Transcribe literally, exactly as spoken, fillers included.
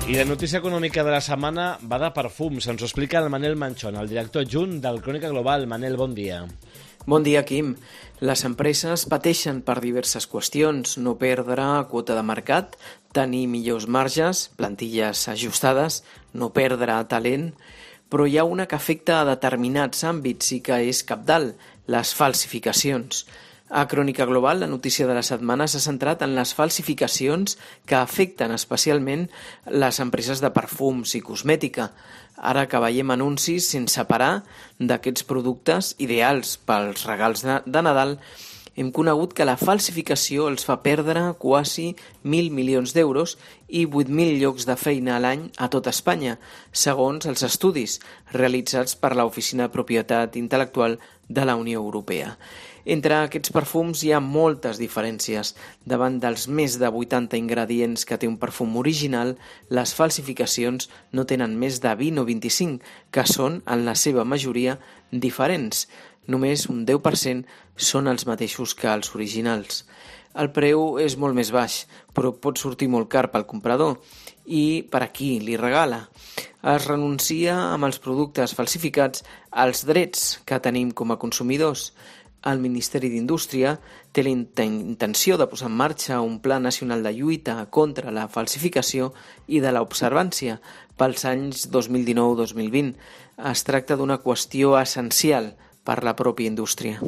I la notícia econòmica de la setmana va de perfums. Ens ho explica el Manel Manchón, el director adjunt del Crònica Global. Manel, bon dia. Bon dia, Quim. Les empreses pateixen per diverses qüestions: no perdre quota de mercat, tenir millors marges, plantilles ajustades, no perdre talent, però hi ha una que afecta a determinats àmbits i que és cabdal: les falsificacions. A Crònica Global, la notícia de la setmana s'ha centrat en les falsificacions que afecten especialment les empreses de perfums i cosmètica. Ara que veiem anuncis sense parar d'aquests productes ideals pels regals de, de Nadal, hem conegut que la falsificació els fa perdre quasi mil milions d'euros i vuit mil llocs de feina a l'any a tot Espanya, segons els estudis realitzats per l'Oficina de Propietat Intel·lectual de la Unió Europea. Entre aquests perfums hi ha moltes diferències. Davant dels més de vuitanta ingredients que té un perfum original, les falsificacions no tenen més de vint o vint-i-cinc, que són, en la seva majoria, diferents. Només un deu per cent són els mateixos que els originals. El preu és molt més baix, però pot sortir molt car pel comprador. I per a qui li regala? Es renuncia amb els productes falsificats als drets que tenim com a consumidors. El Ministeri d'Indústria té la intenció de posar en marxa un Pla Nacional de Lluita contra la Falsificació i de l'Observància pels anys dos mil dinou dos mil vint. Es tracta d'una qüestió essencial per la pròpia indústria.